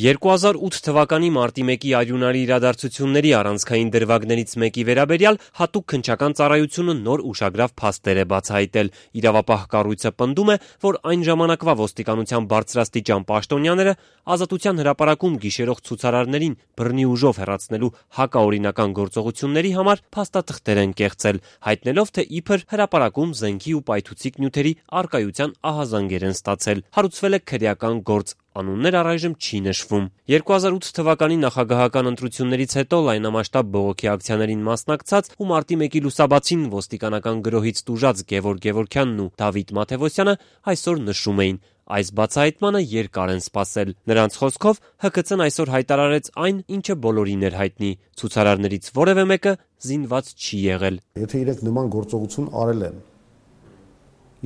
2008 թվականի մարտի 1-ի արյունարի իրադարձությունների առանցքային դրվագներից մեկի վերաբերյալ հատուկ քննչական ծառայությունը նոր ուշագրավ փաստեր է բացահայտել։ Իրավապահ կառույցը պնդում է, որ այն ժամանակվա ոստիկանության բարձրաստիճան պաշտոնյաները Ազատության հրապարակում գիշերող ցուցարարներին բռնի ուժով հեռացնելու հակաօրինական գործողությունների համար փաստաթղթեր են կեղծել, հայտնելով, թե իբր հրապարակում զենքի ու պայթուցիկ նյութերի առկայության ահազանգեր են ստացել։ Հարուցվել է քրեական գործ, անուններ առայժմ չի նշվում։ 2008 թվականի նախագահական ընտրություններից հետո լայնամասշտաբ բողոքի ակցիաներին մասնակցած ու մարտի 1-ի լուսաբացին ոստիկանական գրոհից տուժած Գևորգ Գևորգյանն ու Դավիթ Մաթևոսյանը այսօր նշում էին. այս բացահայտմանը երկար են սպասել։ Նրանց խոսքով ՀԿՑ-ն այսօր հայտարարեց այն, ինչը բոլորին էր հայտնի. ցուցարարներից որևէ մեկը զինված չի եղել։ Եթե իրենք նման գործողություն արել են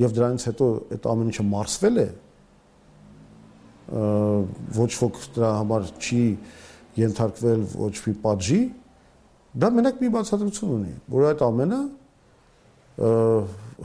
եւ դրանից հետո այդ ամեն ինչը մարսվել է, ոչ ոք դրա համար չի ենթարկվել ոչ մի պատժի, դա մենակ մի բացատրություն ունի, որ այդ ամենը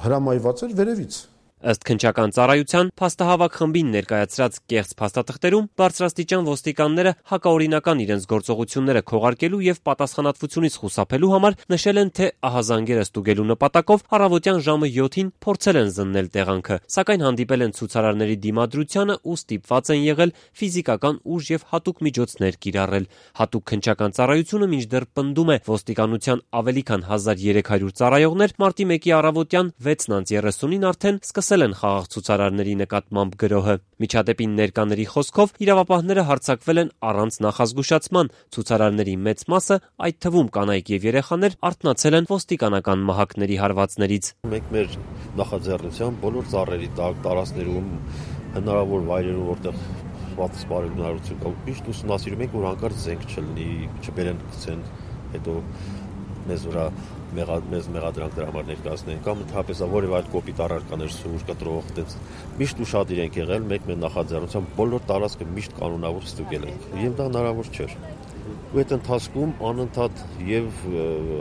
հրամայված էր վերևից։ Ըստ քննչական ծառայության փաստահավաք խմբին ներկայացրած կեղծ փաստաթղթերում բարձրաստիճան ոստիկանները հակաօրինական իրենց գործողությունները քողարկելու եւ պատասխանատվությունից խուսափելու համար նշել են, թե ահազանգերը ստուգելու նպատակով առավոտյան ժամը 7-ին փորձել են զննել տեղանքը, սակայն հանդիպել են ցուցարարների դիմադրությանը ու ստիպված են եղել ֆիզիկական ուժ եւ հատուկ միջոցներ կիրառել։ Հատուկ քննչական ծառայությունը մինչդեռ պնդում է, ոստիկանության ավելի քան 1300 ծառայողներ մարտի 1-ի առավոտյան 6:30-ին արդեն սկսել են խաղաղ ցուցարարների նկատմամբ գրոհը։ Միջադեպին ներկաների խոսքով իրավապահները հարձակվել են առանց նախազգուշացման։ Ցուցարարների մեծ մասը, այդ թվում կանայք եւ երեխաներ, արթնացել են ոստիկանական մահակների հարվածներից։ Մենք մեր նախաձեռնությամբ բոլոր ծառերի տարածքներում հնարավոր վայրերում, որտեղ սպառողություն կա, միշտ ուսումնասիրում ենք, որ հանկարծ զենք չլինի, չբերեն գցեն, հետո մեզ վրա մեզ մեղադրանք դրա համար ներկայացնեն, կամ ընդհանրապես որևէ այլ կոպիտ առարկաներ, սուր, կտրող, այդպես միշտ ուշադիր ենք եղել, մենք մեր նախաձեռնությամբ բոլոր տարածքը միշտ կանոնավոր ստուգել ենք, եւ դա հնարավոր չէր։ Ու այդ ընթացքում անընդհատ եւ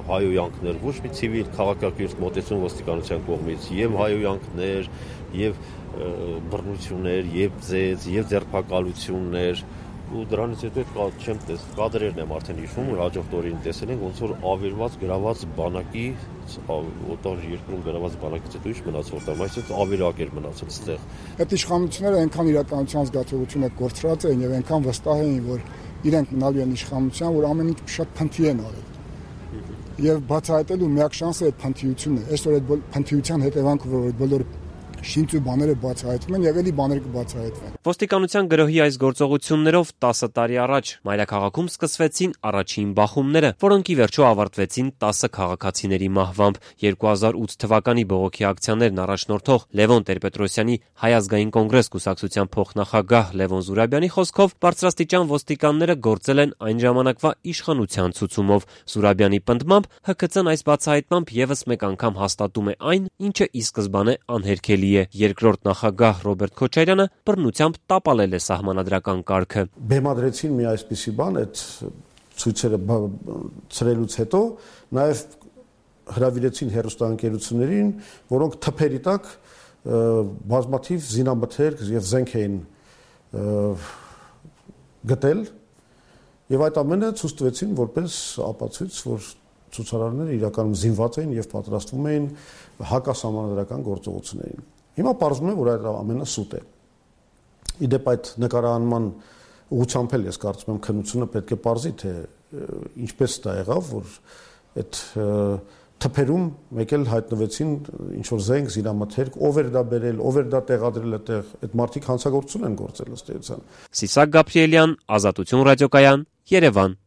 հայոյանքներ, ոչ մի ցիվիլ քաղաքակիրթ մոտեցում ոստիկանության կողմից, եւ հայոյանքներ, եւ բռնություններ, եւ ձեզ, եւ ձերբակալություններ, ու դրանից հետո չեմ տեսել կադրերն եմ արդեն հիշում, որ հաջորդ օրին տեսել ենք ոնց որ ավերված գրաված բանակի օտար երկրում գրաված բանակից հետո ինչ մնացել տամ, այսինքն ավերակ էր մնացել այստեղ։ Այդ իշխանությունները այնքան իրականության զգացողությունը կորցրած էին եւ այնքան վստահ էին, որ իրենք մնալու են իշխանության, որ ամեն ինչ շատ փնթի են արել։ Եվ բացահայտելու միակ շանսը այդ փնթիությունն է։ Այսօր այդ փնթիության հետևանքով որ բոլոր շինչ ու բաները բացահայտվում են եւ էլի բաները կբացահայտվեն։ Ոստիկանության գրոհի այս գործողություններով 10 տարի առաջ մայրաքաղաքում սկսվեցին առաջին բախումները, որոնք ի վերջո ավարտվեցին 10 քաղաքացիների մահվամբ։ 2008 թվականի բողոքի ակցիաներն առաջնորդող Լևոն Տեր-Պետրոսյանի Հայ ազգային կոնգրես կուսակցության փոխնախագահ Լևոն Զուրաբյանի խոսքով բարձրաստիճան ոստիկանները գործել են այն ժամանակվա իշխանության ցուցումով։ Զուրաբյանի պնդմամբ ՀԿՑ-ն այս բացահայտմամբ եւս մեկ անգամ հաստատում է այն, ինչը ի սկզբանե անհերքելի է։ Երկրորդ նախագահ Ռոբերտ Քոչարյանը բռնությամբ տապալել է սահմանադրական կարգը։ Բեմադրեցին մի այսպիսի բան, այդ ցույցերը ծրելուց հետո նաև հրավիրեցին հեռուստաընկերություններին, որոնք թփերի տակ բազմաթիվ զինամթերք եւ զենք էին գտել եւ այդ ամենը ցույց տվեցին որպես ապացույց, որ ցուցարարները իրականում զինված էին եւ պատրաստվում էին հակասահմանադրական գործողություններին։ Հիմա պարզվում է, որ այդ ամենը սուտ է։ Իդեպ այդ նկարահանման ուղղությամբ էլ ես կարծում եմ քննությունը պետք է պարզի, թե ինչպես դա եղավ, որ այդ թփերում մեկ էլ հայտնվեցին ինչ որ զենք, զինամթերք, ով էր դա բերել, ով էր դա տեղադրել այդտեղ, այդ մարդիկ հանցագործություն են գործել ըստ էության։ Սիսակ Գաբրիելյան, Ազատություն ռադիոկայան, Երևան։